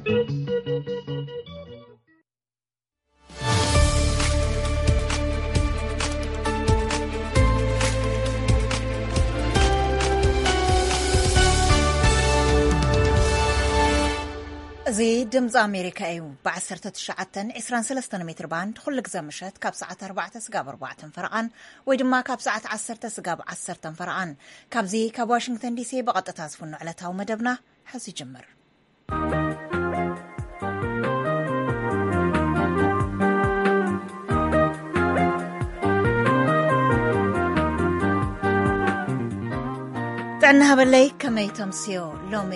እዚ ድምፂ ኣሜሪካ እዩ። ብ19 23 ሜትር ባንድ ኩሉ ግዜ ምሸት ካብ ሰዓት ኣርባዕተ ስጋብ ኣርባዕተን ፈረቓን ወይ ድማ ካብ ሰዓት ዓሰርተ ስጋብ ዓሰርተን ፈረቓን፣ ካብዚ ካብ ዋሽንግተን ዲሲ ብቐጥታ ዝፍኖ ዕለታዊ መደብና ሕዚ ይጅምር። ጥዕና ሃበለይ፣ ከመይ ተምስዮ? ሎሚ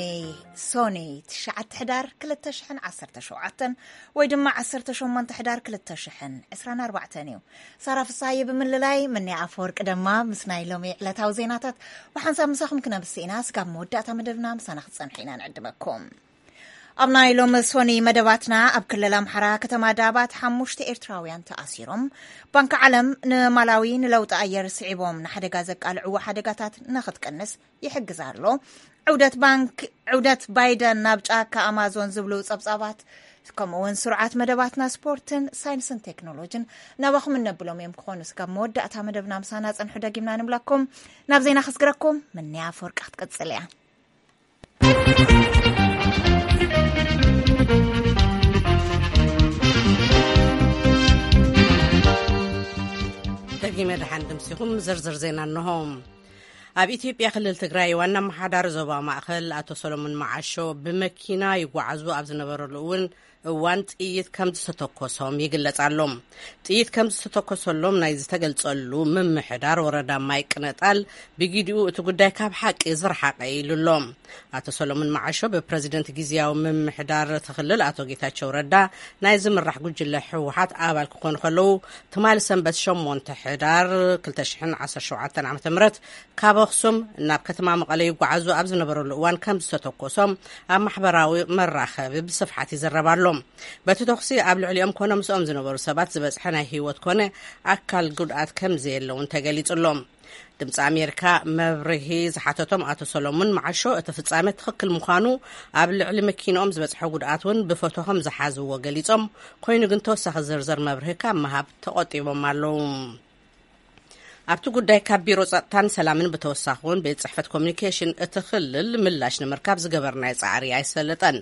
ሶኒ ትሽዓተ ሕዳር ክልተ ሽሕን ዓሰርተ ሸውዓተን ወይ ድማ ዓሰርተ ሸሞንተ ሕዳር ክልተ ሽሕን ዕስራን ኣርባዕተን እዩ። ሳራ ፍሳሃየ ብምልላይ፣ ምንያ ኣፈወርቂ ድማ ምስ ናይ ሎሚ ዕለታዊ ዜናታት ብሓንሳብ ምሳኹም ክነብስ ኢና። ስጋብ መወዳእታ መደብና ምሳና ክትጸንሑ ኢና ንዕድመኩም። ኣብ ናይ ሎሚ ሶኒ መደባትና፣ ኣብ ክልል ኣምሓራ ከተማ ዳባት ሓሙሽተ ኤርትራውያን ተኣሲሮም። ባንኪ ዓለም ንማላዊ ንለውጢ ኣየር ስዒቦም ንሓደጋ ዘቃልዕዎ ሓደጋታት ንኽትቅንስ ይሕግዝ ኣሎ። ዕውደት ባንክ፣ ዕውደት ባይደን ናብ ጫካ ኣማዞን ዝብሉ ጸብጻባት፣ ከምኡ እውን ስሩዓት መደባትና ስፖርትን ሳይንስን ቴክኖሎጅን ናባኹም እነብሎም እዮም ክኾኑ። ስጋብ መወዳእታ መደብና ምሳና ጸንሑ ደጊምና ንብለኩም። ናብ ዜና ክስግረኩም፣ ምንያ ኣፈወርቂ ክትቅጽል እያ። ደጊመ ደሓን ድምሲኹም። ዝርዝር ዜና እንሆ። ኣብ ኢትዮጵያ ክልል ትግራይ ዋና ኣመሓዳሪ ዞባ ማእኸል ኣቶ ሰሎሞን መዓሾ ብመኪና ይጓዓዙ ኣብ ዝነበረሉ እውን እዋን ጥይት ከም ዝተተኮሶም ይግለጽ ኣሎ። ጥይት ከም ዝተተኮሰሎም ናይ ዝተገልጸሉ ምምሕዳር ወረዳ ማይ ቅነጣል ብጊዲኡ እቲ ጉዳይ ካብ ሓቂ ዝረሓቐ ኢሉ ኣሎ። ኣቶ ሰሎሞን መዓሾ ብፕረዚደንት ግዝያዊ ምምሕዳር እቲ ክልል ኣቶ ጌታቸው ረዳ ናይ ዝምራሕ ጉጅለ ህወሓት ኣባል ክኾኑ ከለዉ፣ ትማሊ ሰንበት ሸሞንተ ሕዳር ክልተ ሽሕን ዓሰርተ ሸውዓተን ዓመተ ምህረት ካብ ኣኽሱም ናብ ከተማ መቐለ ይጓዓዙ ኣብ ዝነበረሉ እዋን ከም ዝተተኮሶም ኣብ ማሕበራዊ መራኸቢ ብስፍሓት ይዝረብ ኣሎ። በቲ ተኹሲ ኣብ ልዕሊኦም ኮነ ምስኦም ዝነበሩ ሰባት ዝበጽሐ ናይ ህይወት ኮነ ኣካል ጉድኣት ከም ዘየለ እውን ተገሊጹ ኣሎ። ድምፂ ኣሜሪካ መብርሂ ዝሓተቶም ኣቶ ሰሎሙን መዓሾ፣ እቲ ፍጻሜ ትኽክል ምዃኑ፣ ኣብ ልዕሊ መኪንኦም ዝበጽሐ ጉድኣት እውን ብፎቶ ከም ዝሓዝዎ ገሊጾም፣ ኮይኑ ግን ተወሳኺ ዝርዝር መብርሂ ካብ ምሃብ ተቖጢቦም ኣለዉ። ኣብቲ ጉዳይ ካብ ቢሮ ጸጥታን ሰላምን ብተወሳኺ እውን ቤት ጽሕፈት ኮሚኒኬሽን እቲ ክልል ምላሽ ንምርካብ ዝገበርናዮ ጻዕሪ ኣይሰለጠን።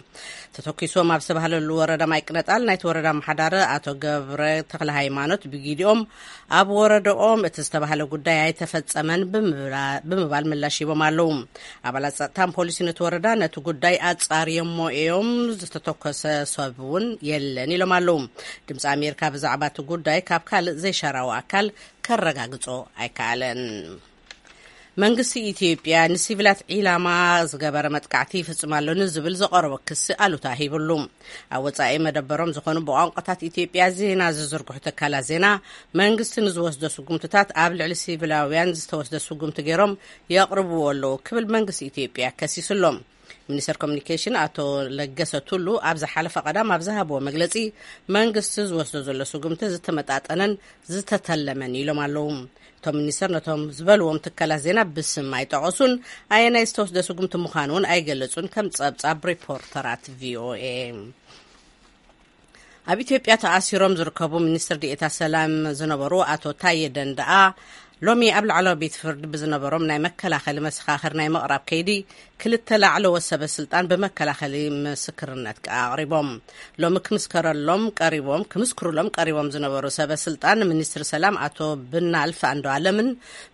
ተተኪሶም ኣብ ዝተባህለሉ ወረዳ ማይ ቅነጣል ናይቲ ወረዳ ኣመሓዳሪ ኣቶ ገብረ ተክለ ሃይማኖት ብጊዲኦም ኣብ ወረዳኦም እቲ ዝተባህለ ጉዳይ ኣይተፈጸመን ብምብላ-፣ ብምባል ምላሽ ሂቦም ኣለዉ። ኣባላት ጸጥታን ፖሊስን እቲ ወረዳ ነቲ ጉዳይ ኣጻርዮሞ እዮም፣ ዝተተኮሰ ሰብ እውን የለን ኢሎም ኣለዉ። ድምፂ ኣሜሪካ ብዛዕባ እቲ ጉዳይ ካብ ካልእ ዘይሻራዊ ኣካል ከረጋግጾ ኣይከኣለን። መንግስቲ ኢትዮጵያ ንሲቪላት ዒላማ ዝገበረ መጥቃዕቲ ይፍጽም ኣሎ ንዝብል ዝቐረቦ ክሲ ኣሉታ ሂብሉ። ኣብ ወጻኢ መደበሮም ዝኾኑ ብቋንቋታት ኢትዮጵያ ዜና ዝዝርግሑ ትካላት ዜና፣ መንግስቲ ንዝወስዶ ስጉምትታት ኣብ ልዕሊ ሲቪላውያን ዝተወስደ ስጉምቲ ገይሮም የቕርብዎ ኣለዉ ክብል መንግስቲ ኢትዮጵያ ከሲሱ ኣሎ። ሚኒስተር ኮሚኒኬሽን ኣቶ ለገሰ ቱሉ ኣብ ዝሓለፈ ቀዳም ኣብ ዝሃብዎ መግለጺ፣ መንግስቲ ዝወስዶ ዘሎ ስጉምቲ ዝተመጣጠነን ዝተተለመን ኢሎም ኣለዉ። እቶም ሚኒስተር ነቶም ዝበልዎም ትካላት ዜና ብስም ኣይጠቐሱን፣ ኣየናይ ዝተወስደ ስጉምቲ ምዃኑ እውን ኣይገለጹን፣ ከም ጸብጻብ ሪፖርተራት ቪኦኤ። ኣብ ኢትዮጵያ ተኣሲሮም ዝርከቡ ሚኒስትር ዲኤታ ሰላም ዝነበሩ ኣቶ ታየ ደንደኣ፣ ሎሚ ኣብ ላዕለዋይ ቤት ፍርዲ ብዝነበሮም ናይ መከላኸሊ መሰኻኽር ናይ ምቕራብ ከይዲ፣ ክልተ ላዕለዎት ሰበ ስልጣን ብመከላኸሊ ምስክርነት ኣቕሪቦም። ሎሚ ክምስከረሎም ቀሪቦም፣ ክምስክሩሎም ቀሪቦም ዝነበሩ ሰበ ስልጣን፣ ሚኒስትር ሰላም ኣቶ ብናልፍ ኣንዱዓለምን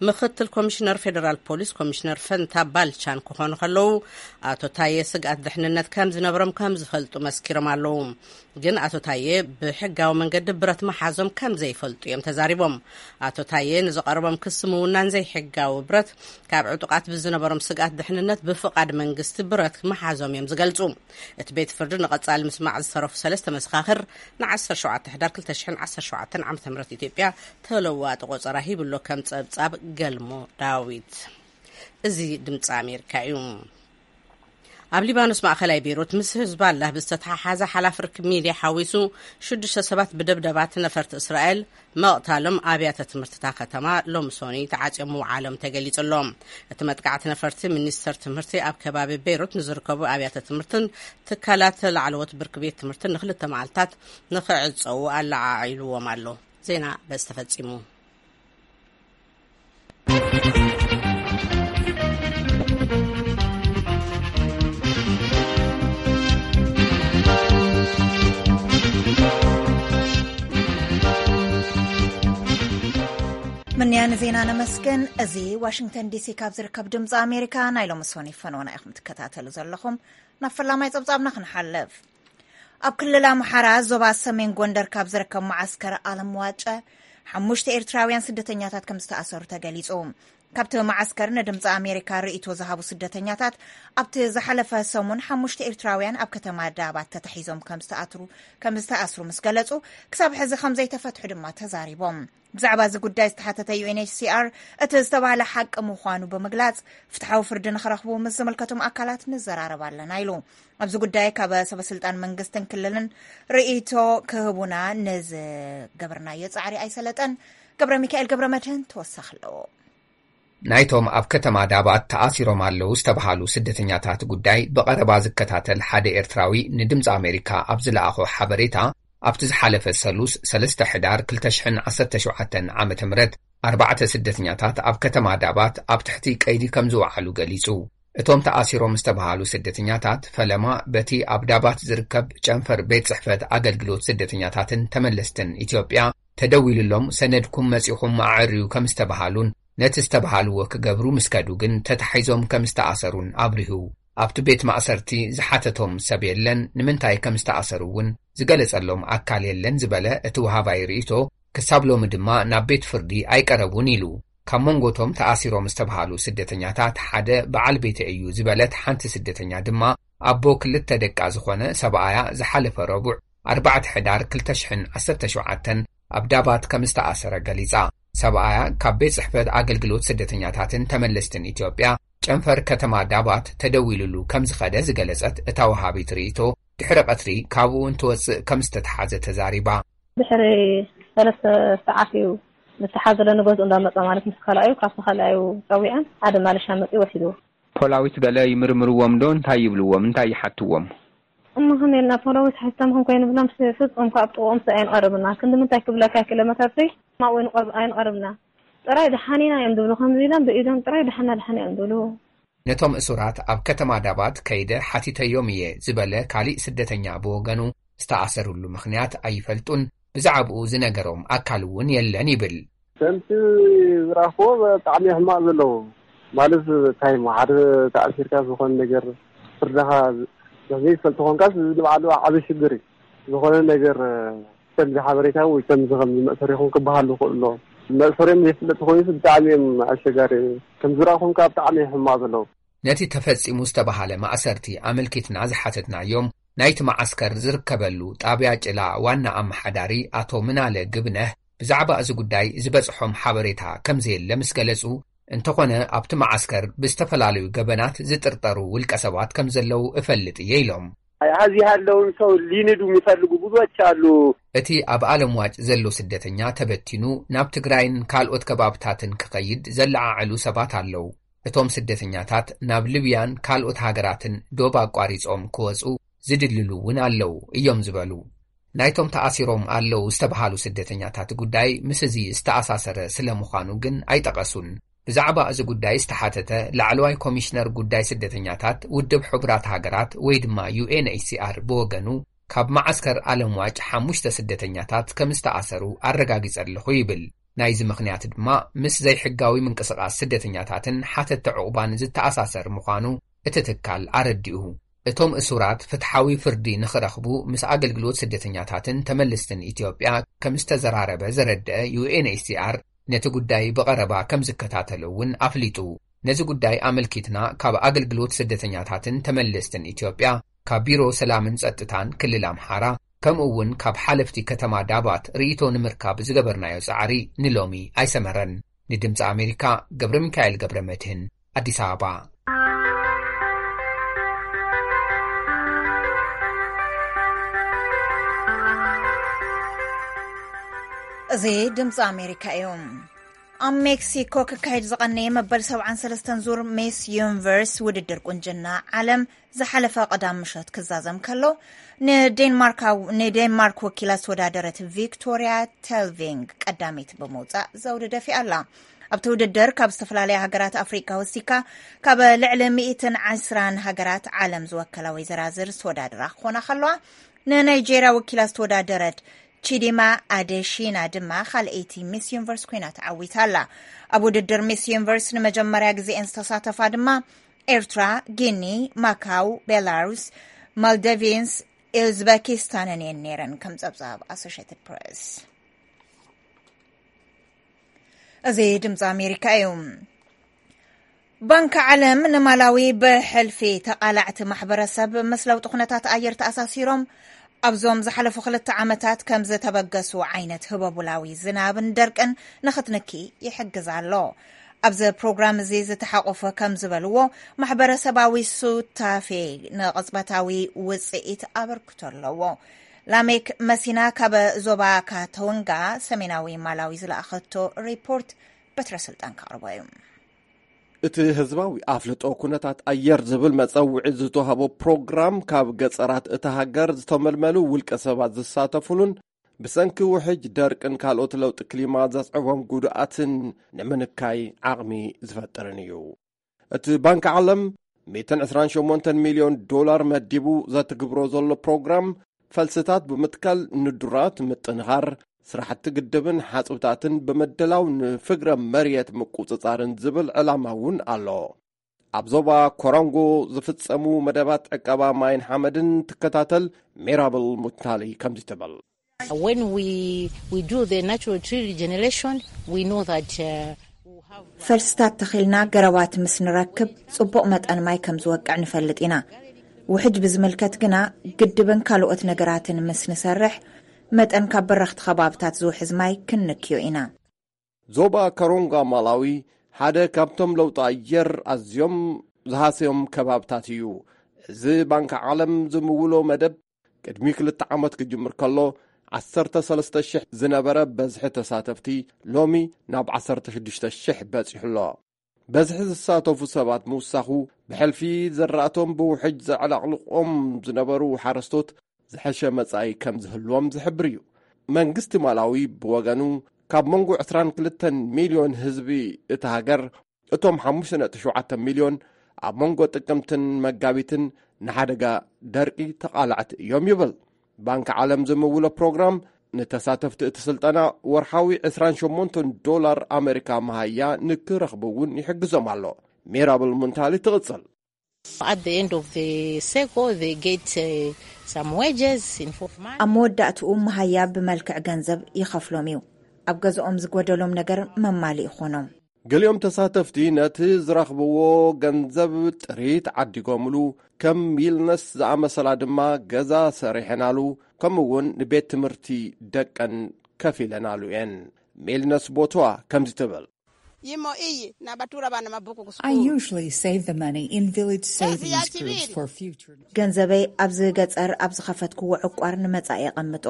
ምኽትል ኮሚሽነር ፌዴራል ፖሊስ ኮሚሽነር ፈንታ ባልቻን ክኾኑ ከለዉ፣ ኣቶ ታየ ስግኣት ድሕንነት ከም ዝነብሮም ከም ዝፈልጡ መስኪሮም ኣለዉ። ግን ኣቶ ታየ ብሕጋዊ መንገዲ ብረት መሓዞም ከም ዘይፈልጡ እዮም ተዛሪቦም። ኣቶ ታየ ንዝቐረቦም ክሲ ምውናን ዘይሕጋዊ ብረት፣ ካብ ዕጡቓት ብዝነበሮም ስግኣት ድሕንነት ብፍቓድ መንግስቲ ብረት መሓዞም እዮም ዝገልጹ። እቲ ቤት ፍርዲ ንቐጻሊ ምስማዕ ዝተረፉ ሰለስተ መሰኻኽር ንዓሰርተ ሸውዓተ ሕዳር ክልተ ሽሕን ዓሰርተ ሸውዓተን ዓመተ ምህረት ኢትዮጵያ ተለዋጢ ቆጸራ ሂብሎ ከም ጸብጻብ ገልሞ ዳዊት። እዚ ድምፂ ኣሜሪካ እዩ። ኣብ ሊባኖስ ማእኸላይ ቤይሩት ምስ ህዝባላህ ብዝተተሓሓዘ ሓላፊ ርክብ ሚድያ ሓዊሱ ሽዱሽተ ሰባት ብደብደባት ነፈርቲ እስራኤል መቕታሎም ኣብያተ ትምህርቲ እታ ከተማ ሎሚ ሶኒ ተዓፅዮም ምውዓሎም ተገሊጹ ኣሎ። እቲ መጥቃዕቲ ነፈርቲ ሚኒስተር ትምህርቲ ኣብ ከባቢ ቤይሩት ንዝርከቡ ኣብያተ ትምህርትን ትካላት ላዕለዎት ብርኪ ቤት ትምህርትን ንክልተ መዓልታት ንክዕጸዉ ኣለዓዒልዎም ኣሎ። ዜና በዚ ተፈጺሙ። ምንያ ንዜና ነመስግን። እዚ ዋሽንግተን ዲሲ ካብ ዝርከብ ድምፂ ኣሜሪካ ናይ ሎሚ ሶኒ ፈነወና ኢኹም ትከታተሉ ዘለኹም። ናብ ፈላማይ ፀብፃብና ክንሓልፍ። ኣብ ክልል ኣምሓራ ዞባ ሰሜን ጎንደር ካብ ዝርከብ መዓስከር ኣለም ዋጨ ሓሙሽተ ኤርትራውያን ስደተኛታት ከም ዝተኣሰሩ ተገሊጹ። ካብቲ መዓስከር ንድምፂ ኣሜሪካ ርእይቶ ዝሃቡ ስደተኛታት፣ ኣብቲ ዝሓለፈ ሰሙን ሓሙሽተ ኤርትራውያን ኣብ ከተማ ዳባት ተታሒዞም ከም ዝተኣትሩ-፣ ከም ዝተኣስሩ ምስ ገለጹ፣ ክሳብ ሕዚ ከም ዘይተፈትሑ ድማ ተዛሪቦም። ብዛዕባ እዚ ጉዳይ ዝተሓተተ ዩ ኤን ኤች ሲ ኣር፣ እቲ ዝተባህለ ሓቂ ምዃኑ ብምግላጽ፣ ፍትሓዊ ፍርዲ ንኽረኽቡ ምስ ዝምልከቶም ኣካላት ንዘራረብ ኣለና ኢሉ። ኣብዚ ጉዳይ ካብ ሰበስልጣን መንግስትን ክልልን ርእይቶ ክህቡና ንዝገበርናዮ ጻዕሪ ኣይሰለጠን። ገብረ ሚካኤል ገብረ መድህን ተወሳኺ ኣለዎ። ናይቶም ኣብ ከተማ ዳባት ተኣሲሮም ኣለዉ ዝተባሃሉ ስደተኛታት ጉዳይ ብቐረባ ዝከታተል ሓደ ኤርትራዊ ንድምፂ ኣሜሪካ ኣብ ዝለኣኾ ሓበሬታ፣ ኣብቲ ዝሓለፈ ሰሉስ ሰለስተ ሕዳር ክልተ ሽሕን ዓሰርተ ሸውዓተን ዓመተ ምህረት ኣርባዕተ ስደተኛታት ኣብ ከተማ ዳባት ኣብ ትሕቲ ቀይዲ ከም ዝወዓሉ ገሊጹ። እቶም ተኣሲሮም ዝተባሃሉ ስደተኛታት ፈለማ በቲ ኣብ ዳባት ዝርከብ ጨንፈር ቤት ጽሕፈት ኣገልግሎት ስደተኛታትን ተመለስትን ኢትዮጵያ ተደዊሉሎም ሰነድኩም መጺኹም ኣዕርዩ ከም ዝተባሃሉን ነቲ ዝተባሃልዎ ክገብሩ ምስ ከዱ ግን ተታሒዞም ከም ዝተኣሰሩን ኣብሪሁ። ኣብቲ ቤት ማእሰርቲ ዝሓተቶም ሰብ የለን፣ ንምንታይ ከም ዝተኣሰሩ እውን ዝገለጸሎም ኣካል የለን ዝበለ እቲ ወሃባይ ርእይቶ፣ ክሳብ ሎሚ ድማ ናብ ቤት ፍርዲ ኣይቀረቡን ኢሉ። ካብ መንጎቶም ተኣሲሮም ዝተባሃሉ ስደተኛታት ሓደ በዓል ቤተ እዩ ዝበለት ሓንቲ ስደተኛ ድማ ኣቦ ክልተ ደቃ ዝኾነ ሰብኣያ ዝሓለፈ ረቡዕ ኣርባዕተ ሕዳር ክልተ ሽሕን ዓሰርተ ሸውዓተን ኣብ ዳባት ከም ዝተኣሰረ ገሊጻ። ሰብኣያ ካብ ቤት ጽሕፈት ኣገልግሎት ስደተኛታትን ተመለስትን ኢትዮጵያ ጨንፈር ከተማ ዳባት ተደዊሉሉ ከም ዝኸደ ዝገለጸት እታ ወሃቢት ርእይቶ፣ ድሕሪ ቀትሪ ካብኡ እንትወጽእ ከም ዝተተሓዘ ተዛሪባ። ድሕሪ ሰለስተ ሰዓት እዩ ዝተሓዘለ፣ ንገዝኡ እንዳመጸ ማለት ምስ ካልኣዩ፣ ካብቲ ካልኣዩ ጸዊዐን ሓደ ማለሻ መጺኡ ወሲድዎ። ፖላዊስ ገለ ይምርምርዎም ዶ? እንታይ ይብልዎም? እንታይ ይሓትዎም? እሞ ከመይ ኢልና ፖላዊስ ሓቲቶም ክንኮይኑ ብሎም ስ-፣ ፍጹም ካብ ጥቕኦም ስ-፣ ኣይንቐርብና። ክንዲ ምንታይ ክብለካ ኪሎ ሜትር ሲ-፣ ማእወይ ንቐርብ-፣ ኣይንቐርብና። ጥራይ ደሓን ኢና እዮም ዝብሉ፣ ከምዚ ኢሎም ብኢዶም ጥራይ ደሓና ደሓን እዮም ዝብሉ። ነቶም እሱራት ኣብ ከተማ ዳባት ከይደ ሓቲተዮም እየ ዝበለ ካሊእ ስደተኛ ብወገኑ፣ ዝተኣሰሩሉ ምኽንያት ኣይፈልጡን፣ ብዛዕባኡ ዝነገሮም ኣካል እውን የለን ይብል። ከምቲ ዝረኣኽዎ ብጣዕሚ ሕማቕ ዘለዉ። ማለት እንታይ እሞ ሓደ ተኣሲርካ ዝኾነ ነገር ፍርድኻ ዘይትፈልጥ ኮንካስ ንባዕሉ ዓቢ ሽግር እዩ። ዝኾነ ነገር ከምዚ ሓበሬታ ወይ ከምዚ ከምዚ መእሰሪ ይኹን ክበሃል ይኽእል ኣሎ። መእሰሪኦም ዘይፍለጥ ኮይኑ ብጣዕሚ እዮም ኣሸጋሪ። ከም ዝረኣኹም ከዓ ብጣዕሚ እዮም ሕማቕ ዘለዉ። ነቲ ተፈጺሙ ዝተባሃለ ማእሰርቲ ኣመልኪትና ዝሓተትናዮም ናይቲ መዓስከር ዝርከበሉ ጣብያ ጭላ ዋና ኣመሓዳሪ ኣቶ ምናለ ግብነህ ብዛዕባ እዚ ጉዳይ ዝበጽሖም ሓበሬታ ከም ዘየለ ምስ ገለጹ፣ እንተኾነ ኣብቲ መዓስከር ብዝተፈላለዩ ገበናት ዝጥርጠሩ ውልቀ ሰባት ከም ዘለዉ እፈልጥ እየ ኢሎም። እዚህ ያለውን ሰው ሊንዱ የሚፈልጉ ብዙዎች አሉ። እቲ ኣብ ኣለምዋጭ ዘሎ ስደተኛ ተበቲኑ ናብ ትግራይን ካልኦት ከባብታትን ክኸይድ ዘለዓዕሉ ሰባት ኣለዉ። እቶም ስደተኛታት ናብ ሊብያን ካልኦት ሃገራትን ዶብ ኣቋሪጾም ክወጹ ዝድልሉ እውን ኣለዉ እዮም ዝበሉ። ናይቶም ተኣሲሮም ኣለዉ ዝተባሃሉ ስደተኛታት ጉዳይ ምስ እዚ ዝተኣሳሰረ ስለ ምዃኑ ግን ኣይጠቐሱን። ብዛዕባ እዚ ጉዳይ ዝተሓተተ ላዕለዋይ ኮሚሽነር ጉዳይ ስደተኛታት ውድብ ሕቡራት ሃገራት ወይ ድማ ዩ ኤን ኤች ሲ ኣር ብወገኑ፣ ካብ መዓስከር ኣለምዋጭ ሓሙሽተ ስደተኛታት ከም ዝተኣሰሩ ኣረጋጊጸ ኣለኹ ይብል። ናይዚ ምኽንያት ድማ ምስ ዘይሕጋዊ ምንቅስቓስ ስደተኛታትን ሓተቲ ዕቑባን ዝተኣሳሰር ምዃኑ እቲ ትካል ኣረዲኡ። እቶም እሱራት ፍትሓዊ ፍርዲ ንኽረኽቡ ምስ ኣገልግሎት ስደተኛታትን ተመለስትን ኢትዮጵያ ከም ዝተዘራረበ ዘረድአ ዩ ኤን ኤች ሲ ኣር፣ ነቲ ጉዳይ ብቐረባ ከም ዝከታተሎ እውን ኣፍሊጡ። ነዚ ጉዳይ ኣመልኪትና ካብ ኣገልግሎት ስደተኛታትን ተመለስትን ኢትዮጵያ፣ ካብ ቢሮ ሰላምን ጸጥታን ክልል ኣምሓራ፣ ከምኡ እውን ካብ ሓለፍቲ ከተማ ዳባት ርእይቶ ንምርካብ ዝገበርናዮ ጻዕሪ ንሎሚ ኣይሰመረን። ንድምጺ ኣሜሪካ፣ ገብረ ሚካኤል ገብረ መድህን፣ ኣዲስ ኣበባ። እዚ ድምፂ ኣሜሪካ እዩ። ኣብ ሜክሲኮ ክካየድ ዝቐነየ መበል ሰብዓን ሰለስተን ዙር ሚስ ዩኒቨርስ ውድድር ቁንጅና ዓለም ዝሓለፈ ቀዳም ምሸት ክዛዘም ከሎ፣ ንዴንማርክ ወኪላ ዝተወዳደረት ቪክቶሪያ ቴልቪንግ ቀዳሚት ብምውፃእ ዘውዲ ደፊኣ ኣላ። ኣብቲ ውድድር ካብ ዝተፈላለያ ሃገራት ኣፍሪካ ወሲካ ካብ ልዕሊ ሚእትን ዕስራን ሃገራት ዓለም ዝወከላ ወይዘራዝር ዝተወዳደራ ክኾና ከለዋ፣ ንናይጄርያ ወኪላ ዝተወዳደረት ቺዲማ ኣደሺና ድማ ካልኣይቲ ሚስ ዩኒቨርስ ኮይና ተዓዊታ ኣላ። ኣብ ውድድር ሚስ ዩኒቨርስ ንመጀመርያ ግዜኤን ዝተሳተፋ ድማ ኤርትራ፣ ጊኒ፣ ማካው፣ ቤላሩስ፣ ማልደቪንስ፣ ኡዝበኪስታንን እየን ነይረን፣ ከም ጸብጻብ ኣሶሽትድ ፕሬስ። እዚ ድምፂ ኣሜሪካ እዩ። ባንኪ ዓለም ንማላዊ ብሕልፊ ተቓላዕቲ ማሕበረሰብ ምስ ለውጢ ኩነታት ኣየር ተኣሳሲሮም ኣብዞም ዝሓለፉ ክልተ ዓመታት ከም ዝተበገሱ ዓይነት ህበቡላዊ ዝናብን ደርቅን ንኽትንኪ ይሕግዝ ኣሎ። ኣብዚ ፕሮግራም እዚ ዝተሓቆፈ ከም ዝበልዎ፣ ማሕበረሰባዊ ሱታፌ ንቕጽበታዊ ውጽኢት ኣበርክቶ ኣለዎ። ላሜክ መሲና ካብ ዞባ ካቶንጋ ሰሜናዊ ማላዊ ዝለኣኸቶ ሪፖርት በትረ ስልጣን ከቕርቦ እዩ። እቲ ህዝባዊ ኣፍልጦ ኩነታት ኣየር ዝብል መጸውዒ ዝተዋህቦ ፕሮግራም፣ ካብ ገጸራት እታ ሃገር ዝተመልመሉ ውልቀ ሰባት ዝሳተፉሉን ብሰንኪ ውሕጅ፣ ደርቅን ካልኦት ለውጢ ክሊማ ዘስዕቦም ጉድኣትን ንምንካይ ዓቕሚ ዝፈጥርን እዩ። እቲ ባንኪ ዓለም ሚእትን ዕስራን ሸሞንተን ሚልዮን ዶላር መዲቡ ዘትግብሮ ዘሎ ፕሮግራም፣ ፈልስታት ብምትካል ንዱራት ምጥንኻር፣ ስራሕቲ ግድብን ሓጽብታትን ብምድላው ንፍግረ መሬት ምቁጽጻርን ዝብል ዕላማ እውን ኣሎ። ኣብ ዞባ ኮሮንጎ ዝፍጸሙ መደባት ዕቀባ ማይን ሓመድን ትከታተል ሜራብል ሙታሊ ከምዚ ትብል። When we, we do the natural tree regeneration, we know that, uh, we have ፈልስታት ተኺልና ገረባት ምስ ንረክብ፣ ጽቡቕ መጠን ማይ ከም ዝወቅዕ ንፈልጥ ኢና። ውሕጅ ብዝምልከት ግና፣ ግድብን ካልኦት ነገራትን ምስ ንሰርሕ፣ መጠን ካብ በረኽቲ ከባብታት ዝውሕዝ ማይ ክንንክዮ ኢና። ዞባ ካሮንጋ ማላዊ ሓደ ካብቶም ለውጢ ኣየር ኣዝዮም ዝሃሰዮም ከባብታት እዩ። እዚ ባንኪ ዓለም ዝምውሎ መደብ፣ ቅድሚ ክልተ ዓመት ክጅምር ከሎ፣ ዓሰርተ ሰለስተ ሽሕ ዝነበረ በዝሒ ተሳተፍቲ፣ ሎሚ ናብ ዓሰርተ ሽዱሽተ ሽሕ በጺሑ ኣሎ። በዝሒ ዝሳተፉ ሰባት ምውሳኹ፣ ብሕልፊ ዘራእቶም ብውሕጅ ዘዕለቕልቖም ዝነበሩ ሓረስቶት ዝሐሸ መጻኢ ከም ዝህልዎም ዝሕብር እዩ። መንግስቲ ማላዊ ብወገኑ፣ ካብ መንጎ ዕስራን ክልተን ሚልዮን ህዝቢ እታ ሃገር፣ እቶም ሓሙሽተ ነጥቢ ሸውዓተ ሚልዮን ኣብ መንጎ ጥቅምትን መጋቢትን ንሓደጋ ደርቂ ተቓላዕቲ እዮም ይብል። ባንኪ ዓለም ዝምውሎ ፕሮግራም፣ ንተሳተፍቲ እቲ ስልጠና ወርሓዊ ዕስራን ሸሞንተን ዶላር ኣሜሪካ መሃያ ንክረኽቡ እውን ይሕግዞም ኣሎ። ሜራብል ሙንታሊ ትቕጽል። At the end of the cycle, they get, uh, some wages in form of money. ኣብ መወዳእትኡ መሃያ ብመልክዕ ገንዘብ ይኸፍሎም እዩ። ኣብ ገዝኦም ዝጎደሎም ነገር መማሊ ይኾኖም። ገሊኦም ተሳተፍቲ ነቲ ዝረኽብዎ ገንዘብ ጥሪት ዓዲጎምሉ፣ ከም ሚልነስ ዝኣመሰላ ድማ ገዛ ሰሪሐናሉ፣ ከምኡ እውን ንቤት ትምህርቲ ደቀን ከፊለናሉ እየን። ሚልነስ ቦትዋ ከምዚ ትብል። Yimo iyi nabatura bana mabuku ku I school. Usually save the money in village savings groups for future. ገንዘበይ ኣብዚ ገጸር ኣብ ዝኸፈትክዎ ዕቋር ንመጻኢ የቐምጦ።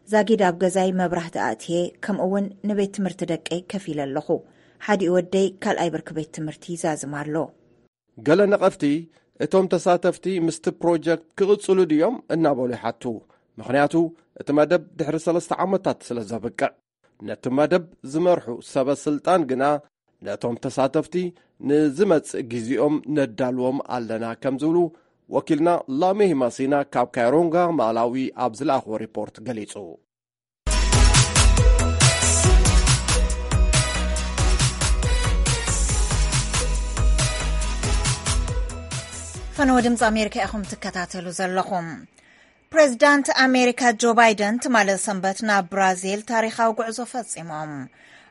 ዛጊድ ኣብ ገዛይ መብራህቲ ኣእትየ፣ ከምኡ እውን ንቤት ትምህርቲ ደቀይ ከፊለ ኣለኹ። ሓዲኡ ወደይ ካልኣይ ብርኪ ቤት ትምህርቲ ይዛዝም ኣሎ። ገለ ነቐፍቲ፣ እቶም ተሳተፍቲ ምስቲ ፕሮጀክት ክቕጽሉ ድዮም እናበሉ ይሓቱ። ምኽንያቱ፣ እቲ መደብ ድሕሪ ሰለስተ ዓመታት ስለ ዘብቅዕ። ነቲ መደብ ዝመርሑ ሰበ ስልጣን ግና፣ ነቶም ተሳተፍቲ ንዝመጽእ ግዜኦም ነዳልዎም ኣለና ከም ዝብሉ ወኪልና ላሜ ሂማሲና ካብ ካይሮንጋ ማላዊ ኣብ ዝለኣኽዎ ሪፖርት ገሊጹ። ፈነወ ድምፂ ኣሜሪካ ኢኹም ትከታተሉ ዘለኹም። ፕሬዚዳንት ኣሜሪካ ጆ ባይደን ትማሊ ሰንበት ናብ ብራዚል ታሪኻዊ ጉዕዞ ፈጺሞም።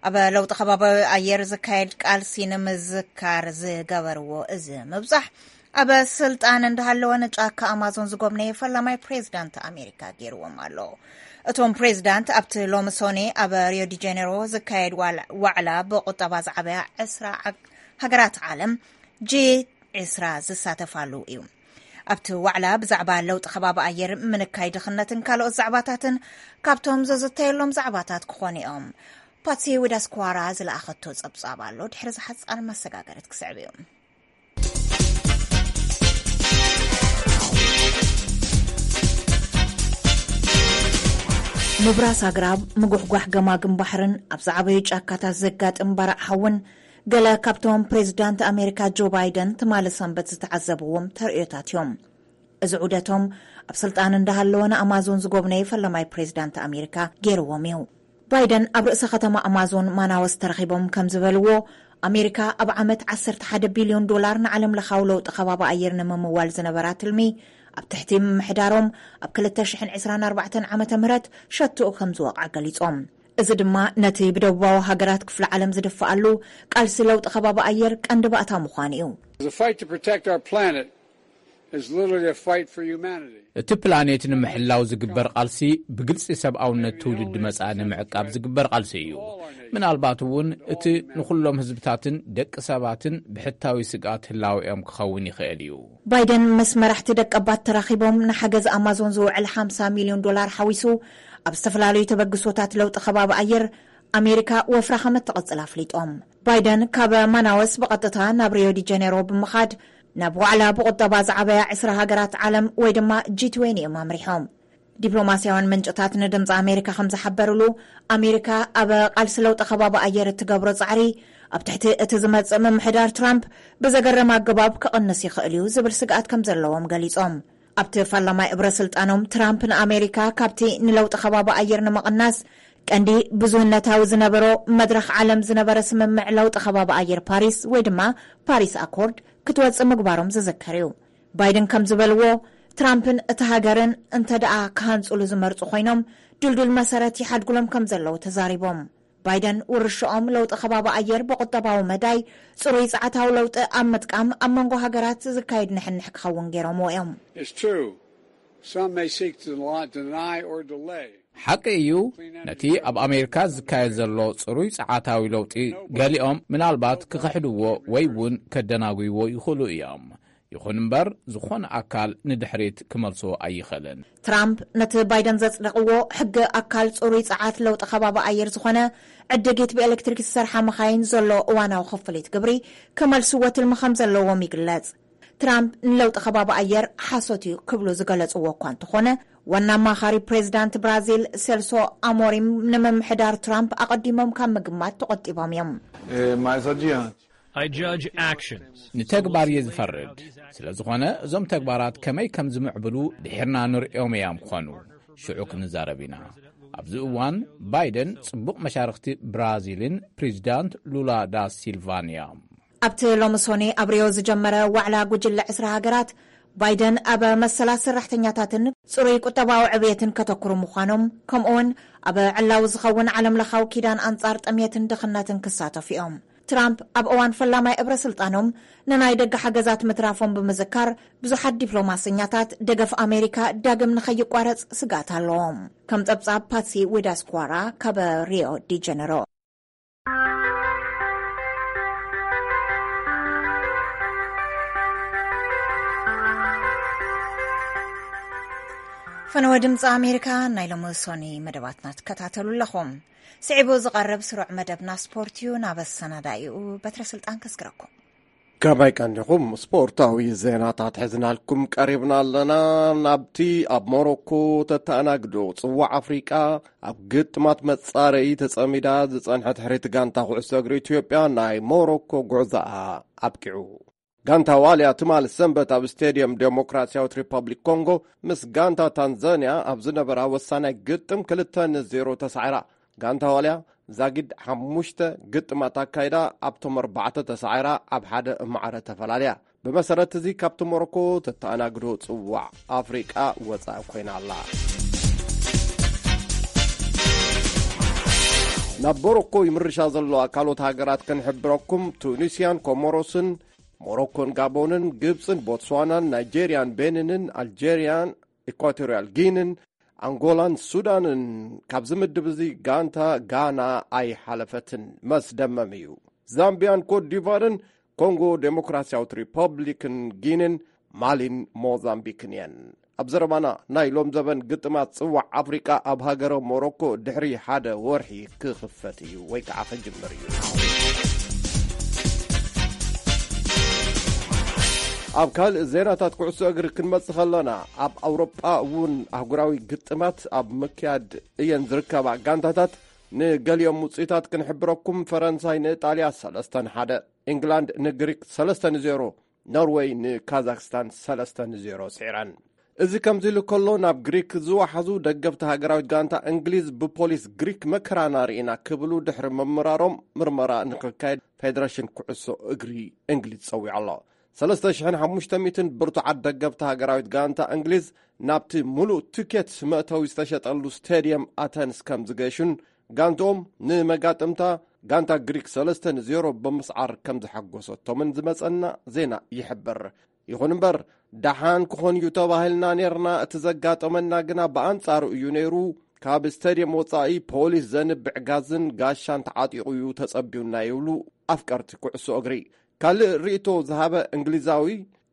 ኣብ ለውጢ ከባቢ ኣየር ዝካየድ ቃልሲ ንምዝካር ዝገበርዎ እዚ ምብጻሕ፣ ኣብ ስልጣን እንዳሃለወ ንጫካ ኣማዞን ዝጎብነየ ፈላማይ ፕሬዚዳንት ኣሜሪካ ገይርዎም ኣሎ። እቶም ፕሬዚዳንት ኣብቲ ሎሚ ሶኔ ኣብ ሪዮ ዲ ጀኔሮ ዝካየድ ዋል-፣ ዋዕላ ብቁጠባ ዝዓበያ ዕስራ ዓግ-፣ ሃገራት ዓለም፣ ጂ ዕስራ ዝሳተፋሉ እዩ። ኣብቲ ዋዕላ ብዛዕባ ለውጢ ከባቢ ኣየር፣ ምንካይ ድኽነትን ካልኦት ዛዕባታትን ካብቶም ዘዝተየሎም ዛዕባታት ክኾኑ እዮም። ፓትሲ ዊዳስኳራ ዝለኣኸቶ ጸብጻብ ኣሎ። ድሕሪ ዝሓጻር መሰጋገሪት ክስዕብ እዩ። ምብራስ ኣግራብ፣ ምጉሕጓሕ ገማግም ባሕርን ኣብ ዝዓበዩ ጫካታት ዘጋጥም ባርዕ ሓውን ገለ ካብቶም ፕሬዚዳንት ኣሜሪካ ጆ ባይደን ትማሊ ሰንበት ዝተዓዘብዎም ተርእዮታት እዮም። እዚ ዑደቶም ኣብ ስልጣን እንዳሃለወ ንኣማዞን ዝጎብነየ ፈለማይ ፕሬዚዳንት ኣሜሪካ ገይርዎም እዩ። ባይደን ኣብ ርእሰ ከተማ ኣማዞን ማናወስ ተረኺቦም ከም ዝበልዎ፣ ኣሜሪካ ኣብ ዓመት ዓሰርተ ሓደ ቢልዮን ዶላር ንዓለም ለኻዊ ለውጢ ከባቢ ኣየር ንምምዋል ዝነበራ ትልሚ ኣብ ትሕቲ ምምሕዳሮም ኣብ ክልተ ሽሕን ዕስራን ኣርባዕተን ዓመተ ምህረት ሸትኡ ከም ዝወቕዓ ገሊጾም። እዚ ድማ ነቲ ብደቡባዊ ሃገራት ክፍለ ዓለም ዝድፍኣሉ ቃልሲ ለውጢ ከባቢ ኣየር ቀንዲ ባእታ ምዃኑ እዩ። The fight to protect our planet is literally a fight for humanity. እቲ ፕላኔት ንምሕላው ዝግበር ቃልሲ ብግልጺ ሰብኣውነት ትውልዲ መጻኢ ንምዕቃብ ዝግበር ቃልሲ እዩ። ምናልባት እውን እቲ ንኹሎም ህዝብታትን ደቂ ሰባትን ብሕታዊ ስግኣት ህላዌኦም ክኸውን ይኽእል እዩ። ባይደን ምስ መራሕቲ ደቀባት ተራኺቦም ንሓገዝ ኣማዞን ዝውዕል ሓምሳ ሚልዮን ዶላር ሓዊሱ ኣብ ዝተፈላለዩ ተበግሶታት ለውጢ ከባቢ ኣየር ኣሜሪካ ወፍራ ከም እትቕጽል ኣፍሊጦም። ባይደን ካብ ማናወስ ብቐጥታ ናብ ሪዮ ዲ ጀኔሮ ብምኻድ ናብ ዋዕላ ብቁጠባ ዝዓበያ ዕስራ ሃገራት ዓለም ወይ ድማ ጂ ትዌንቲ እዮም ኣምሪሖም። ዲፕሎማስያውያን ምንጭታት ንድምፂ ኣሜሪካ ከም ዝሓበሩሉ፣ ኣሜሪካ ኣብ ቃልሲ ለውጢ ከባቢ ኣየር እትገብሮ ጻዕሪ ኣብ ትሕቲ እቲ ዝመጽእ ምምሕዳር ትራምፕ ብዘገርም ኣገባብ ክቕንስ ይኽእል እዩ ዝብል ስግኣት ከም ዘለዎም ገሊጾም። ኣብቲ ፈላማይ እብረ ስልጣኖም ትራምፕ ንኣሜሪካ ካብቲ ንለውጢ ከባቢ ኣየር ንምቕናስ ቀንዲ ብዙህነታዊ ዝነበሮ መድረኽ ዓለም ዝነበረ ስምምዕ ለውጢ ከባቢ ኣየር ፓሪስ ወይ ድማ ፓሪስ ኣኮርድ ክትወጽእ ምግባሮም ዝዝከር እዩ። ባይደን ከም ዝበልዎ፣ ትራምፕን እቲ ሃገርን እንተ ደኣ ክሃንጹሉ ዝመርጹ ኮይኖም፣ ድልዱል መሰረት ይሓድጉሎም ከም ዘለዉ ተዛሪቦም። ባይደን ውርሻኦም ለውጢ ከባቢ ኣየር ብቁጠባዊ መዳይ ጽሩይ ጸዓታዊ ለውጢ ኣብ ምጥቃም ኣብ መንጎ ሃገራት ዝካየድ ንሕንሕ ክኸውን ገይሮምዎ እዮም። It's true. Some may seek to deny or delay. ሓቂ እዩ፣ ነቲ ኣብ ኣሜሪካ ዝካየድ ዘሎ ጽሩይ ጸዓታዊ ለውጢ ገሊኦም ምናልባት ክኽሕድዎ ወይ እውን ከደናጉይዎ ይኽእሉ እዮም። ይኹን እምበር፣ ዝኾነ ኣካል ንድሕሪት ክመልሶ ኣይኽእልን። ትራምፕ ነቲ ባይደን ዘጽደቕዎ ሕጊ ኣካል ጽሩይ ጸዓት ለውጢ ከባቢ ኣየር ዝኾነ ዕድጊት ብኤሌክትሪክ ዝሰርሓ መኻይን ዘሎ እዋናዊ ክፍሊት ግብሪ ክመልስዎ ትልሚ ከም ዘለዎም ይግለጽ። ትራምፕ ንለውጢ ከባቢ ኣየር ሓሶት እዩ ክብሉ ዝገለጽዎ እኳ እንተኾነ፣ ዋና ኣማኻሪ ፕሬዚዳንት ብራዚል ሴልሶ ኣሞሪም ንምምሕዳር ትራምፕ ኣቐዲሞም ካብ ምግማት ተቖጢቦም እዮም። Eh, mais adiante. I judge actions. ንተግባር እየ ዝፈርድ። ስለ ዝኾነ፣ እዞም ተግባራት ከመይ ከም ዝምዕብሉ ድሒርና ንርእዮም እዮም ክኾኑ። ሽዑ ክንዛረብ ኢና። ኣብዚ እዋን፣ ባይደን ጽቡቕ መሻርኽቲ ብራዚልን ፕሬዚዳንት ሉላ ዳ ሲልቫን እዮም። ኣብቲ ሎሚ ሶኒ ኣብ ሪዮ ዝጀመረ ዋዕላ ጉጅለ ዕስራ ሃገራት፣ ባይደን ኣብ መሰላት ሰራሕተኛታትን ጽሩይ ቁጠባዊ ዕብየትን ከተኩሩ ምዃኖም፣ ከምኡውን ኣብ ዕላዊ ዝኸውን ዓለምለኻዊ ኪዳን ኣንጻር ጥሜትን ድኽነትን ክሳተፉ እዮም። ትራምፕ ኣብ እዋን ፈላማይ እብረ ስልጣኖም ንናይ ደገ ሓገዛት ምትራፎም ብምዝካር፣ ብዙሓት ዲፕሎማሰኛታት ደገፍ ኣሜሪካ ዳግም ንኸይቋረጽ ስግኣት ኣለዎም። ከም ጸብጻብ ፓትሲ ዊዳስኳራ ካብ ሪዮ ዲ ጀነሮ። ፈነወ ድምፂ ኣሜሪካ፣ ናይ ሎሚ ሶኒ መደባትና ትከታተሉ ኣለኹም። ስዒቡ ዝቐርብ ስሩዕ መደብና ስፖርት እዩ። ናብ ኣሰናዳኢኡ በትረ ስልጣን ከስግረኩም። ከመይ ቀኒኹም? ስፖርታዊ ዜናታት ሒዝናልኩም ቀሪብና ኣለና። ናብቲ ኣብ ሞሮኮ ተተኣናግዶ ጽዋዕ ኣፍሪቃ ኣብ ግጥማት መጻረዪ ተጸሚዳ ዝጸንሐት ሕርይቲ ጋንታ ኩዕሶ እግሪ ኢትዮጵያ፣ ናይ ሞሮኮ ጉዕዞኣ ኣብቂዑ። ጋንታ ዋልያ ትማሊ ሰንበት ኣብ ስቴድየም ዴሞክራሲያዊት ሪፐብሊክ ኮንጎ ምስ ጋንታ ታንዛንያ ኣብ ዝነበራ ወሳናይ ግጥም ክልተ ንዜሮ ተሳዒራ። ጋንታ ዋልያ ዛጊድ ሓሙሽተ ግጥማት ኣካይዳ፣ ኣብቶም ኣርባዕተ ተሳዒራ፣ ኣብ ሓደ ማዕረ ተፈላልያ። ብመሰረት እዚ፣ ካብቲ ሞሮኮ ተተኣናግዶ ጽዋዕ ኣፍሪቃ ወጻኢ ኮይና ኣላ። ናብ ሞሮኮ ይምርሻ ዘለዋ ካልኦት ሃገራት ክንሕብረኩም፣ ቱኒስያን ኮሞሮስን፣ ሞሮኮን ጋቦንን፣ ግብጽን ቦትስዋናን፣ ናይጄርያን ቤኒንን፣ ኣልጄርያን፣ ኢኳቶርያል ጊንን፣ ኣንጎላን ሱዳንን ካብዚ ምድብ እዚ ጋንታ ጋና ኣይሓለፈትን። መስደመም እዩ። ዛምቢያን ኮት ዲቫርን ኮንጎ ዴሞክራሲያዊት ሪፐብሊክን ጊንን ማሊን ሞዛምቢክን እየን። ኣብ ዘረባና ናይ ሎም ዘበን ግጥማት ጽዋዕ ኣፍሪቃ ኣብ ሃገረ ሞሮኮ ድሕሪ ሓደ ወርሒ ክኽፈት እዩ ወይ ከዓ ክጅምር እዩ። ኣብ ካልእ ዜናታት ኩዕሶ እግሪ ክንመጽእ ከለና፣ ኣብ ኣውሮጳ እውን ኣህጉራዊ ግጥማት ኣብ ምክያድ እየን ዝርከባ። ጋንታታት ንገሊኦም ውጽኢታት ክንሕብረኩም፣ ፈረንሳይ ንኢጣልያ ሰለስተ ንሓደ፣ ኢንግላንድ ንግሪክ ሰለስተ ንዜሮ፣ ኖርወይ ንካዛክስታን ሰለስተ ንዜሮ ስዒረን። እዚ ከምዚ ኢሉ ከሎ፣ ናብ ግሪክ ዝወሓዙ ደገፍቲ ሃገራዊት ጋንታ እንግሊዝ ብፖሊስ ግሪክ መከራና ርኢና ክብሉ ድሕሪ ምምራሮም፣ ምርመራ ንክካየድ ፌደሬሽን ኩዕሶ እግሪ እንግሊዝ ጸዊዑ ኣሎ። ሰለስተ ሽሕን ሓሙሽተ ሚእትን ብርቱዓት ደገፍቲ ሃገራዊት ጋንታ እንግሊዝ ናብቲ ሙሉእ ትኬት መእተዊ ዝተሸጠሉ ስቴድየም ኣተንስ ከም ዝገሹን፣ ጋንትኦም ንመጋጥምታ ጋንታ ግሪክ ሰለስተ ንዜሮ ብምስዓር ከም ዝሓጎሰቶምን ዝመጸና ዜና ይሕብር። ይኹን እምበር፣ ደሓን ክኾን እዩ ተባሂልና ኔርና፣ እቲ ዘጋጠመና ግና ብኣንጻሩ እዩ ነይሩ። ካብ ስቴድየም ወጻኢ ፖሊስ ዘንብዕ ጋዝን ጋሻን ተዓጢቑ እዩ ተጸቢዩና ይብሉ ኣፍቀርቲ ኩዕሶ እግሪ። ካልእ ርእይቶ ዝሃበ እንግሊዛዊ፣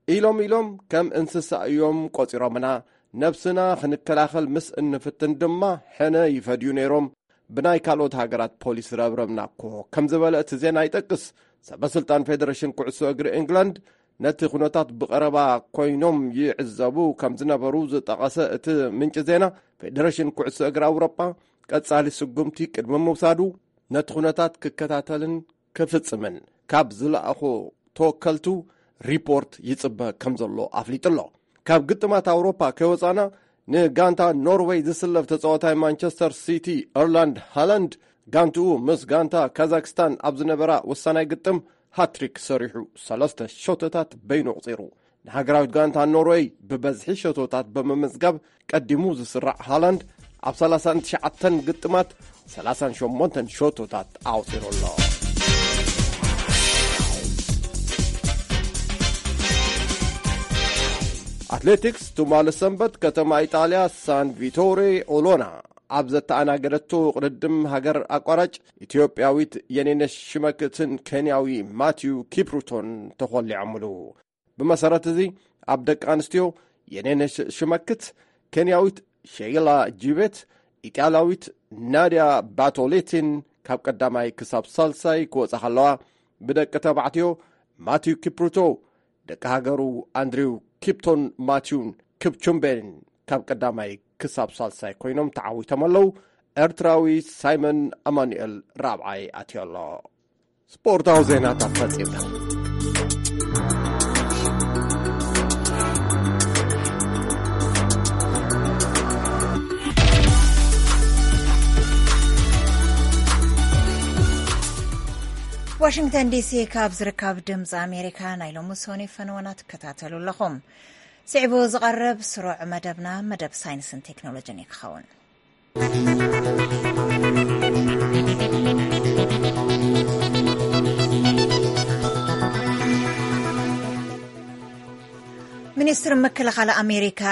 ኢሎም ኢሎም ከም እንስሳ እዮም ቆጺሮምና። ነብስና ክንከላኸል ምስ እንፍትን ድማ ሕነ ይፈድዩ ነይሮም። ብናይ ካልኦት ሃገራት ፖሊስ ረብረብና እኮ፣ ከም ዝበለ እቲ ዜና ይጠቅስ። ሰበስልጣን ፌደሬሽን ኩዕሶ እግሪ እንግላንድ፣ ነቲ ኩነታት ብቐረባ ኮይኖም ይዕዘቡ ከም ዝነበሩ ዝጠቐሰ እቲ ምንጪ ዜና፣ ፌደሬሽን ኩዕሶ እግሪ ኣውሮጳ ቀጻሊ ስጉምቲ ቅድሚ ምውሳዱ ነቲ ኩነታት ክከታተልን ክፍጽምን ካብ ዝለኣኾ ተወከልቱ ሪፖርት ይጽበ ከም ዘሎ ኣፍሊጡ ኣሎ። ካብ ግጥማት ኣውሮፓ ከይወጻና፣ ንጋንታ ኖርዌይ ዝስለፍ ተጻዋታይ ማንቸስተር ሲቲ ኤርላንድ ሃላንድ፣ ጋንትኡ ምስ ጋንታ ካዛክስታን ኣብ ዝነበራ ወሳናይ ግጥም ሃትሪክ ሰሪሑ፣ ሰለስተ ሸቶታት በይኑ ኣቑጺሩ። ንሃገራዊት ጋንታ ኖርወይ ብበዝሒ ሸቶታት ብምምዝጋብ ቀዲሙ ዝስራዕ ሃላንድ፣ ኣብ ሰላሳን ትሽዓተን ግጥማት ሰላሳን ሸሞንተን ሸቶታት ኣቑጺሩ ኣሎ። ኣትሌቲክስ፣ ትማሊ ሰንበት ከተማ ኢጣልያ ሳን ቪቶሬ ኦሎና ኣብ ዘተኣናገደቶ ቅድድም ሃገር ኣቋራጭ፣ ኢትዮጵያዊት የኔነሽ ሽመክትን ኬንያዊ ማቲዩ ኪፕሩቶን ተኾሊዖምሉ። ብመሰረት እዚ፣ ኣብ ደቂ ኣንስትዮ፣ የኔነሽ ሽመክት፣ ኬንያዊት ሼይላ ጂቤት፣ ኢጣልያዊት ናድያ ባቶሌቲን ካብ ቀዳማይ ክሳብ ሳልሳይ ክወጻ ከለዋ፣ ብደቂ ተባዕትዮ፣ ማቲዩ ኪፕሩቶ፣ ደቂ ሃገሩ፣ ኣንድሪው ኪፕቶን ማቲዩን ክፕቹምቤን ካብ ቀዳማይ ክሳብ ሳልሳይ ኮይኖም ተዓዊቶም ኣለዉ። ኤርትራዊ ሳይመን ኣማኑኤል ራብዓይ ኣትዮ ኣሎ። ስፖርታዊ ዜናታት ፈጺምና። ዋሽንግተን ዲሲ ካብ ዝርከብ ድምፂ ኣሜሪካ ናይ ሎሚ ሰኑይ ፈነወና ትከታተሉ ኣለኹም። ስዒቡ ዝቐርብ ስሩዕ መደብና መደብ ሳይንስን ቴክኖሎጂን እዩ ክኸውን። ሚኒስትሪ ምክልኻል ኣሜሪካ፣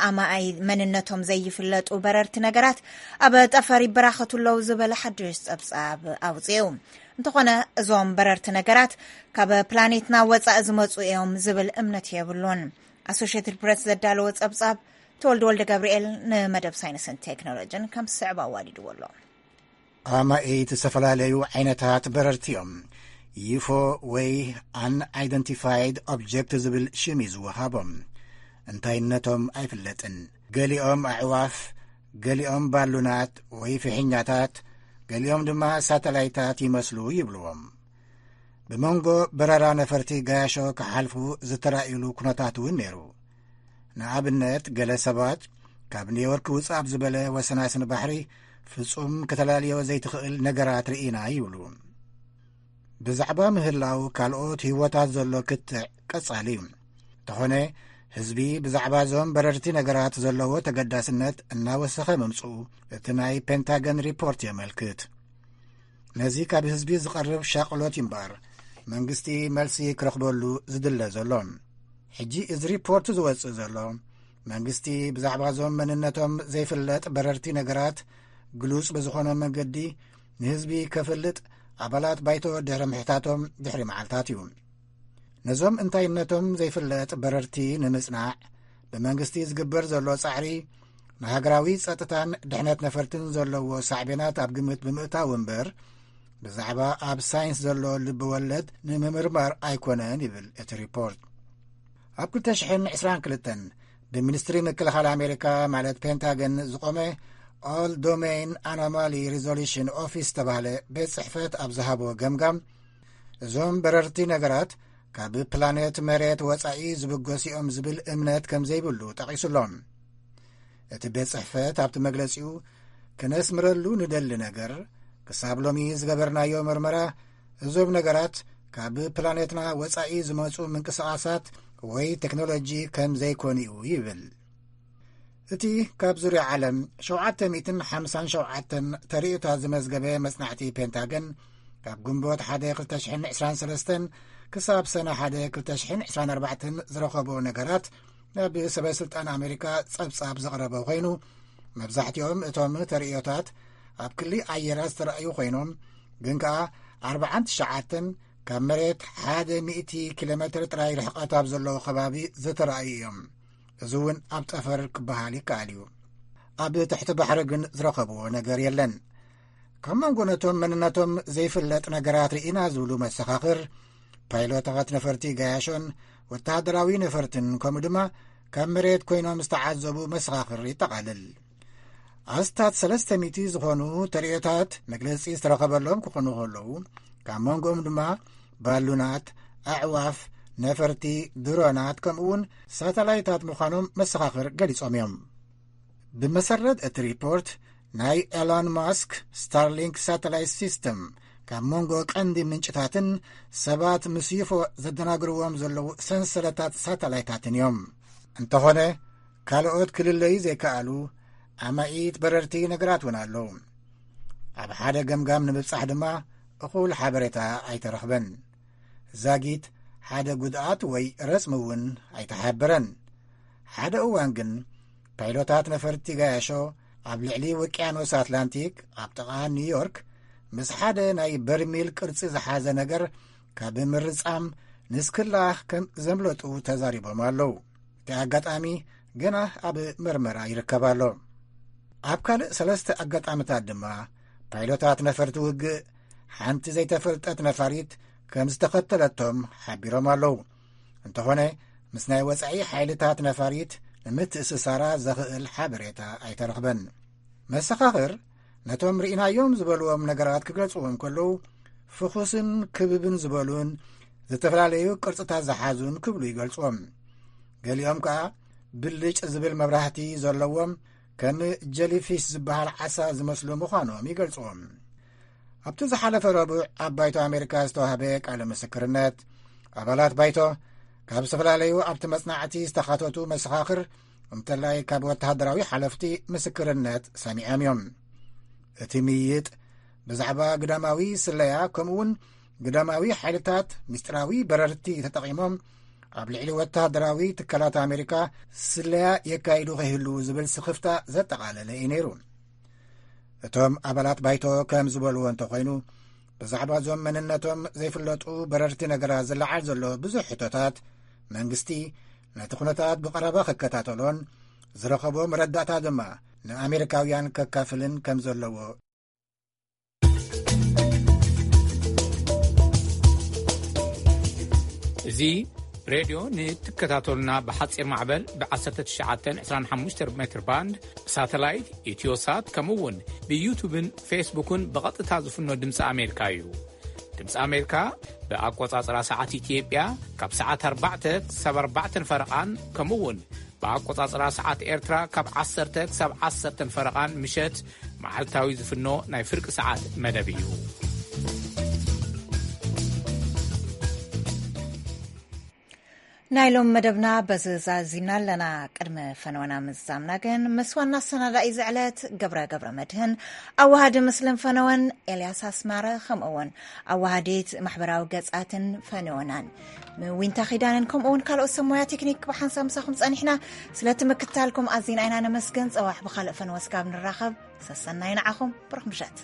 ኣማኣይ መንነቶም ዘይፍለጡ በረርቲ ነገራት ኣብ ጠፈር ይበራኸቱ ኣለዉ ዝበለ ሓድሽ ጸብጻብ ኣውጺኡ። እንተኾነ፣ እዞም በረርቲ ነገራት ካብ ፕላኔትና ወጻኢ ዝመጹ እዮም ዝብል እምነት የብሉን። ኣሶሽየትድ ፕሬስ ዘዳለዎ ጸብጻብ፣ ተወልደ ወልደ ገብርኤል ንመደብ ሳይንስን ቴክኖሎጂን ከም ዝስዕብ ኣዋዲድዎ ኣሎ። ኣማኢት ዝተፈላለዩ ዓይነታት በረርቲ እዮም። ዩፎ ወይ ኣን ኣይደንቲፋይድ ኦብጀክት ዝብል ሽም እዩ ዝወሃቦም። እንታይነቶም ኣይፍለጥን። ገሊኦም ኣዕዋፍ፣ ገሊኦም ባሉናት ወይ ፍሕኛታት፣ ገሊኦም ድማ ሳተላይታት ይመስሉ ይብልዎም። ብመንጎ በረራ ነፈርቲ ገያሾ ክሓልፉ ዝተራእዩሉ ኩነታት እውን ነይሩ። ንኣብነት፣ ገለ ሰባት ካብ ኒውዮርክ ውጽእ ኣብ ዝበለ ወሰናስን ባሕሪ ፍጹም ከተላልዮ ዘይትኽእል ነገራት ርኢና ይብሉ። ብዛዕባ ምህላው ካልኦት ህይወታት ዘሎ ክትዕ ቀጻሊ እዩ። እንተኾነ፣ ህዝቢ ብዛዕባ እዞም በረርቲ ነገራት ዘለዎ ተገዳስነት እናወሰኸ ምምጽኡ እቲ ናይ ፔንታገን ሪፖርት የመልክት። ነዚ ካብ ህዝቢ ዝቐርብ ሻቕሎት እምበኣር፣ መንግስቲ መልሲ ክረኽበሉ ዝድለ ዘሎ። ሕጂ እዚ ሪፖርት ዝወጽእ ዘሎ፣ መንግስቲ ብዛዕባ እዞም መንነቶም ዘይፍለጥ በረርቲ ነገራት ግሉጽ ብዝኾነ መንገዲ ንህዝቢ ከፍልጥ ኣባላት ባይቶ ድሕሪ ምሕታቶም ድሕሪ መዓልታት እዩ። ነዞም እንታይነቶም ዘይፍለጥ በረርቲ ንምጽናዕ ብመንግስቲ ዝግበር ዘሎ ጻዕሪ፣ ንሃገራዊ ጸጥታን ድሕነት ነፈርትን ዘለዎ ሳዕቤናት ኣብ ግምት ብምእታው እምበር፣ ብዛዕባ ኣብ ሳይንስ ዘሎ ልቢ ወለድ ንምምርማር ኣይኮነን ይብል እቲ ሪፖርት። ኣብ ክልተ ሽሕን ዕስራን ክልተን ብሚኒስትሪ ምክልኻል ኣሜሪካ፣ ማለት ፔንታገን፣ ዝቖመ ኦል ዶሜን ኣኖማሊ ሪዞሉሽን ኦፊስ ዝተባህለ ቤት ጽሕፈት ኣብ ዝሃቦ ገምጋም፣ እዞም በረርቲ ነገራት ካብ ፕላኔት መሬት ወጻኢ ዝብገሱ እዮም ዝብል እምነት ከም ዘይብሉ ጠቒሱሎም። እቲ ቤት ጽሕፈት ኣብቲ መግለጺኡ፣ ክነስምረሉ ንደሊ ነገር፣ ክሳብ ሎሚ ዝገበርናዮ መርመራ፣ እዞም ነገራት ካብ ፕላኔትና ወጻኢ ዝመጹ ምንቅስቓሳት ወይ ቴክኖሎጂ ከም ዘይኮኑ እዩ ይብል። እቲ ካብ ዙርያ ዓለም ሸውዓተ ሚእትን ሓምሳን ሸውዓተን ተርእዮታት ዝመዝገበ መጽናዕቲ ፔንታገን፣ ካብ ግንቦት ሓደ ክልተ ሽሕን ዕስራን ሰለስተን ክሳብ ሰነ ሓደ ክልተ ሽሕን ዕስራን ኣርባዕተን ዝረኸቦ ነገራት፣ ናብ ሰበ ስልጣን ኣሜሪካ ጸብጻብ ዘቕረበ ኮይኑ፣ መብዛሕትኦም እቶም ተርእዮታት ኣብ ክሊ ኣየራት ዝተረኣዩ ኮይኖም፣ ግን ከኣ ኣርባዓን ትሽዓተን ካብ መሬት ሓደ ሚእቲ ኪሎ ሜትር ጥራይ ርሕቀት ኣብ ዘለዎ ከባቢ ዝተረኣዩ እዮም። እዚ እውን ኣብ ጠፈር ክበሃል ይከኣል እዩ። ኣብ ትሕቲ ባሕሪ ግን ዝረኸብዎ ነገር የለን። ካብ መንጎ ነቶም መንነቶም ዘይፍለጥ ነገራት ርኢና ዝብሉ መሰኻኽር፣ ፓይሎታት ነፈርቲ ገያሾን ወተሃደራዊ ነፈርትን፣ ከምኡ ድማ ካብ መሬት ኮይኖም ዝተዓዘቡ መሰኻኽር ይጠቓልል። ኣስታት ሰለስተ ሚእቲ ዝኾኑ ተርእዮታት መግለጺ ዝተረኸበሎም ክኾኑ ከለዉ፣ ካብ መንጎኦም ድማ ባሉናት፣ ኣዕዋፍ፣ ነፈርቲ፣ ድሮናት፣ ከምኡ እውን ሳተላይታት ምዃኖም መሰኻኽር ገሊጾም እዮም። ብመሰረት እቲ ሪፖርት፣ ናይ ኤሎን ማስክ ስታርሊንክ ሳተላይት ሲስተም ካብ መንጎ ቀንዲ ምንጭታትን ሰባት ምስ ዩፎ ዘደናግርዎም ዘለዉ ሰንሰለታት ሳተላይታትን እዮም። እንተኾነ፣ ካልኦት ክልለዩ ዘይከኣሉ ኣማኢት በረርቲ ነገራት እውን ኣለዉ። ኣብ ሓደ ገምጋም ንምብጻሕ ድማ እኹል ሓበሬታ ኣይተረኽበን። ዛጊት ሓደ ጉድኣት ወይ ረጽሚ እውን ኣይተሓበረን። ሓደ እዋን ግን፣ ፓይሎታት ነፈርቲ ገያሾ ኣብ ልዕሊ ውቅያኖስ ኣትላንቲክ ኣብ ጥቓ ኒውዮርክ ምስ ሓደ ናይ በርሚል ቅርጺ ዝሓዘ ነገር ካብ ምርጻም ንስክላ ከም ዘምለጡ ተዛሪቦም ኣለዉ። እቲ ኣጋጣሚ ገና ኣብ መርመራ ይርከብ ኣሎ። ኣብ ካልእ ሰለስተ ኣጋጣምታት ድማ ፓይሎታት ነፈርቲ ውግእ ሓንቲ ዘይተፈልጠት ነፋሪት ከም ዝተኸተለቶም ሓቢሮም ኣለዉ። እንተኾነ፣ ምስ ናይ ወጻኢ ሓይልታት ነፋሪት ንምትእስሳራ ዘኽእል ሓበሬታ ኣይተረኽበን። መሰኻኽር ነቶም ርኢናዮም ዝበልዎም ነገራት ክገልጽዎም ከለዉ፣ ፍኹስን ክብብን ዝበሉን ዝተፈላለዩ ቅርጽታት ዝሓዙን ክብሉ ይገልጽዎም። ገሊኦም ከኣ ብልጭ ዝብል መብራህቲ ዘለዎም፣ ከም ጀሊፊሽ ዝበሃል ዓሳ ዝመስሉ ምዃኖም ይገልጽዎም። ኣብቲ ዝሓለፈ ረቡዕ ኣብ ባይቶ ኣሜሪካ ዝተዋህበ ቃለ ምስክርነት፣ ኣባላት ባይቶ ካብ ዝተፈላለዩ ኣብቲ መጽናዕቲ ዝተኻተቱ መሰኻኽር፣ እንተላይ ካብ ወተሃደራዊ ሓለፍቲ ምስክርነት ሰሚዖም እዮም። እቲ ምይይጥ ብዛዕባ ግዳማዊ ስለያ፣ ከምኡውን ግዳማዊ ሓይልታት ምስጢራዊ በረርቲ ተጠቒሞም ኣብ ልዕሊ ወተሃደራዊ ትካላት ኣሜሪካ ስለያ የካይዱ ከይህልዉ ዝብል ስኽፍታ ዘጠቓለለ እዩ ነይሩ። እቶም ኣባላት ባይቶ ከም ዝበልዎ እንተኾይኑ፣ ብዛዕባ እዞም መንነቶም ዘይፍለጡ በረርቲ ነገራት ዝለዓል ዘሎ ብዙሕ ሕቶታት፣ መንግስቲ ነቲ ኩነታት ብቐረባ ክከታተሎን ዝረኸቦ መረዳእታ ድማ ንኣሜሪካውያን ከካፍልን ከም ዘለዎ። እዚ ሬድዮ ንትከታተሉና ብሓጺር ማዕበል ብ1925 ሜትር ባንድ፣ ብሳተላይት፣ ኢትዮሳት፣ ከምኡ እውን ብዩቱብን ፌስቡክን ብቐጥታ ዝፍኖ ድምፂ ኣሜሪካ እዩ። ድምፂ ኣሜሪካ ብኣቆጻጽራ ሰዓት ኢትዮጵያ ካብ ሰዓት ኣርባዕተ ክሳብ ኣርባዕተን ፈረቓን፣ ከምኡ እውን ብኣቆጻጽራ ሰዓት ኤርትራ ካብ ዓሰርተ ክሳብ ዓሰርተን ፈረቓን ምሸት መዓልታዊ ዝፍኖ ናይ ፍርቂ ሰዓት መደብ እዩ። ናይ ሎም መደብና በዚ ዛዚምና ኣለና። ቅድሚ ፈነወና ምዛምና ግን፣ ምስ ዋና ኣሰናዳኢ ዝዕለት ገብረ ገብረ መድህን፣ ኣዋሃዲ ምስልን ፈነወን ኤልያስ ኣስማረ፣ ከምኡ እውን ኣዋሃዲት ማሕበራዊ ገጻትን ፈነወናን ምዊንታ ኪዳንን፣ ከምኡ እውን ካልኦት ሰብ ሞያ ቴክኒክ ብሓንሳብ ምሳኹም ጸኒሕና። ስለቲ ምክታልኩም ኣዚና ኢና ነመስግን። ጸዋሕ ብኻልእ ፈነወ ስጋብ ንራኸብ፣ ሰሰናይ ንዓኹም። ብሩኽ ምሸት።